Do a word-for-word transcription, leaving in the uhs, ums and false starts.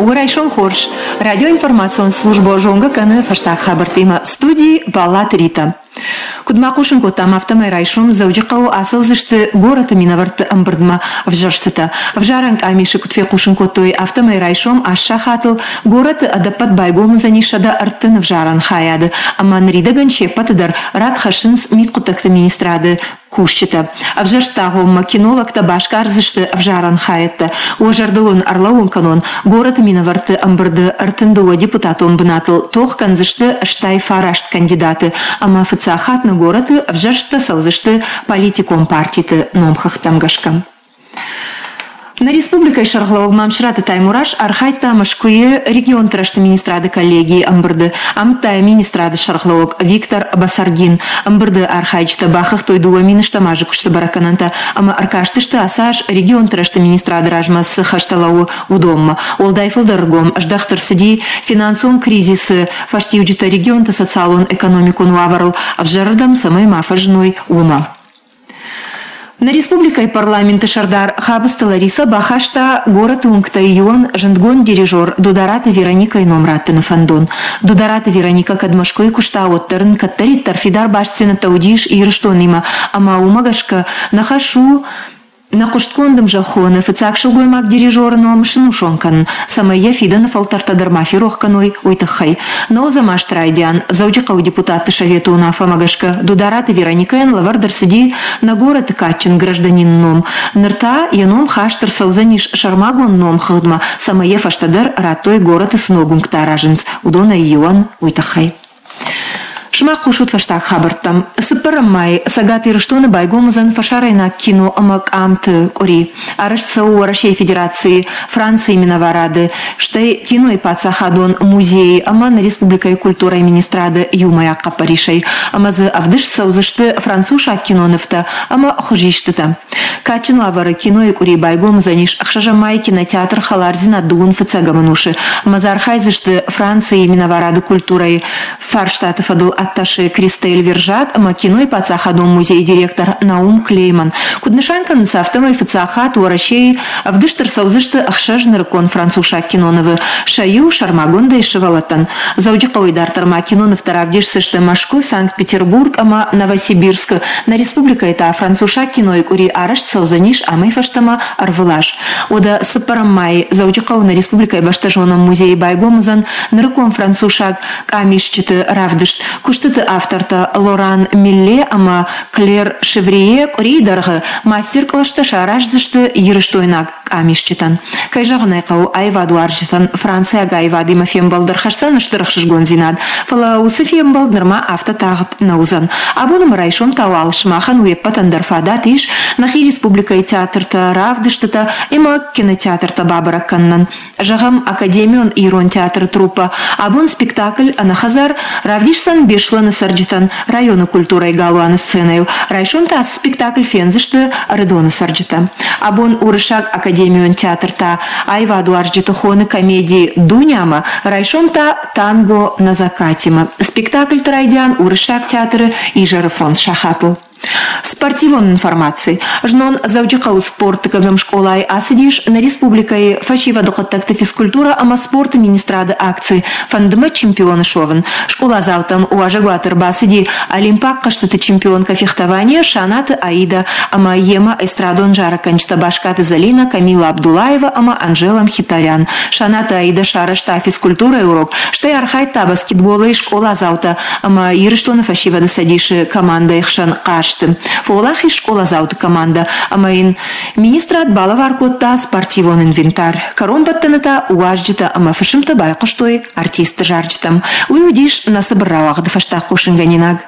Райсом хорз. Радиоинформацион службӕ зонгӕ кӕны фӕстаг хабӕрттимӕ студийы Баллаты Рита. Куыд ма хъусын кодтам, афтӕмӕй райсом Дзӕуджыхъӕуы ацӕудзысты горӕты минӕвӕртты ӕмбырдмӕ ӕвзӕрстытӕ. Ӕвзарӕн къамисы куыд фехъусын кодтой, афтӕмӕй райсом аст сахатыл горӕты ӕдӕппӕт байгом уыдзӕни сӕдӕ ӕртын ӕвзарӕн хайады ӕмӕ ныридӕгӕн се ппӕты дӕр рад хӕссынц мидхъуыддӕгты министрады кусджытӕ. Ӕвзӕрстагъоммӕ кинологтӕ басгардзысты ӕвзарӕн хайӕдтӕ. Уӕ зӕрдыл уын ӕрлӕууын кӕнон, горӕты минӕвӕртты ӕмбырды ӕртын дыууӕ депутатон бынатыл тох кӕндзысты стай фараст кандидаты ӕмӕ фыццаг хатт нӕ горӕты ӕвзӕрсттӕ цӕудзысты политикон партиты номхыгъдтӕм гӕсгӕ. Нӕ республикӕйы сӕргълӕууӕг Мамсыраты Таймураз архайдта Мӕскуыйы регионты рӕзты министрады коллегийы ӕмбырды. Амыдта йӕ министрады сӕргълӕууӕг Виктор Басаргин. Ӕмбырды архайджытӕ бахыгътой дыууӕ мин стӕм азы куысты бӕрӕггӕнӕнтӕ ӕмӕ ӕркастысты ацы аз регионты рӕзты министрады размӕ цы хӕстӕ лӕууы, уыдонмӕ. Уӕлдай фылдӕр ӕргом здӕхт ӕрцыди финансон кризисы фӕстиуджытӕ регионты социалон-экономикон уавӕрыл ӕвзӕрырдӕм цӕмӕй ма фӕзыной, уымӕ. Нӕ республикӕйы парламенты сӕрдар Хабысты Лариса бахаста горӕты уынгтӕй иуӕн зындгонд дирижер Дудараты Вероникӕйы ном раттыны фӕндон. Дудараты Вероникӕ кӕд Мӕскуыйы куыста, уӕддӕр ын кӕддӕриддӕр фидар бастдзинӕдтӕ уыдис Ирыстонимӕ ӕмӕ уымӕ гӕсгӕ нӕ хӕс у нӕ хъуыстгонд ӕмзӕххоны фыццаг сылгоймаг дирижеры ном сынусон кӕнын, цӕмӕй йӕ фидӕны фӕлтӕртӕ дӕр ма ферох кӕной, уый тыххӕй. Нӕуӕдзӕм азты райдиан Дзӕуджыхъӕуы депутатты советы уынаффӕмӕ гӕсгӕ Дудараты Вероникӕйӕн лӕвӕрд ӕрцыди нӕ горӕты кадджын гражданины ном. Ныр та йӕ ном хаст ӕрцӕудзӕнис сӕрмагонд номхыгъдмӕ, цӕмӕй йӕ фӕстӕдӕр радтой горӕты цы ног уынгтӕ аразынц, уыдонӕй иуӕн, уый тыххӕй. Сымах хъусут фӕстаг хабӕрттӕм. Цыппӕрӕм май Цӕгат Ирыстоны байгом уыдзӕн фӕсарӕйнаг кино ӕмӕ къамты къуыри. Арӕзт цӕуы Уӕрӕсейы Федерацийы, Францийы минӕварады, стӕй кинойы паддзахадон музейы ӕмӕ нӕ республикӕйы культурӕйы министрады иумӕйаг хъӕппӕрисӕй. Ӕмӕ дзы ӕвдыст цӕудзысты францусаг кинонывтӕ ӕмӕ хуызистытӕ. Кадджын уавӕры кинойы къуыри байгом уыдзӕнис ӕхсӕзӕм майы кинотеатр «Хӕлардзинад» дыууын фыццӕгӕм ӕнусы. Ӕмӕ дзы архайдзысты Францийы минӕварады культурӕйы фарстаты фӕдыл атташе Кристель Вержат ӕмӕ кинойы паддзахадон музейы директор Наум Клейман. Куыд нысан кӕнынц, афтӕмӕй фыццаг хатт Уӕрӕсейы ӕвдыст ӕрцӕудзысты ӕхсӕз нырыккон францусаг кинонывы, сӕ иу сӕрмагондӕй сывӕллӕттӕн. Дзӕуджыхъӕуӕй дарддӕр ма кинонывтӕ равдисдзысты Мӕскуы, Санкт-Петербург ӕмӕ Новосибирскы. Нӕ республикӕйы та францусаг кинойы къуыри арӕзт цӕудзӕнис амӕй фӕстӕмӕ ӕрвылаз. Уӕдӕ цыппӕрӕм майы Дзӕуджыхъӕуы нӕ республикӕйы бӕстӕзонӕн музейы байгом уыдзӕн нырыккон францусаг къамисджыты равдыст. Куыстыты автортӕ Лоран Милле ӕмӕ Клер Шеврие къуырийы дӕргъы мастер-къластӕ сараздзысты ирыстойнаг къамисджытӕн. Кӕй зӕгъын ӕй хъӕуы, аивадуарзджытӕн франциаг аивадимӕ фембӕлд ӕрхӕсдзӕн стыр ӕхсызгондзинад, фӕлӕ уыцы фембӕлд нырма афтӕ тагъд нӕ уыдзӕн. Абон ӕмӕ райсом та уал сымахӕн уе ппӕтӕн дӕр фадат ис нӕхи республикӕйы театртӕ, равдыстытӕ ӕмӕ кинотеатртӕ бабӕрӕг кӕнынӕн. Зӕгъӕм, академион ирон театры труппӕ абон спектакль «Ӕнӕхӕдзар» равдисдзӕн Беслӕны цӕрджытӕн районы культурӕйы галуаны сценӕйыл. Райсом та ацы спектакль фендзысты Ӕрыдоны цӕрджытӕ. Абон уырыссаг академион театр та аивадуарзджыты хоны комеди «Дунямӕ», райсом та «Танго на закате»-мӕ. Спектакльты райдиан уырыссаг театры изӕры фондз сахатыл. Спортивон информаци. Знон Дзӕуджыхъӕуы спорты кӕгӕм скъолайы ацыдис нӕ республикӕйы фӕсивӕды хъуыддӕгты физкультурӕ ӕмӕ спорты министрады акци «Фӕнды мӕ чемпионы суӕвын». Скъоладзаутӕм уазӕгуаты ӕрбацыди олимпаг хъӕзтыты чемпионкӕ фехтованийӕ Шанаты Аида ӕмӕ йемӕ эстрадон зарӕггӕнджытӕ Баскаты Залина, Камила Абдулаева ӕмӕ Анжела Мхитарян. Шанаты Аида сарӕзта физкультурӕйы урок, стӕй архайдта баскетболӕй скъоладзаутӕ ӕмӕ Ирыстоны фӕсивӕды цӕдисы командӕйы хсӕн хъазты. Фӕуӕлахиз скъоладзауты командӕ ӕмӕ йын министрад балӕвар кодта спортивон инвентарь. Кӕронбӕттӕны та уазджытӕ ӕмӕ фысымтӕ байхъуыстой артистты зарджытӕм. Уый уыдис нӕ цыбыр рауагъды фӕстаг хъусынгӕнинаг.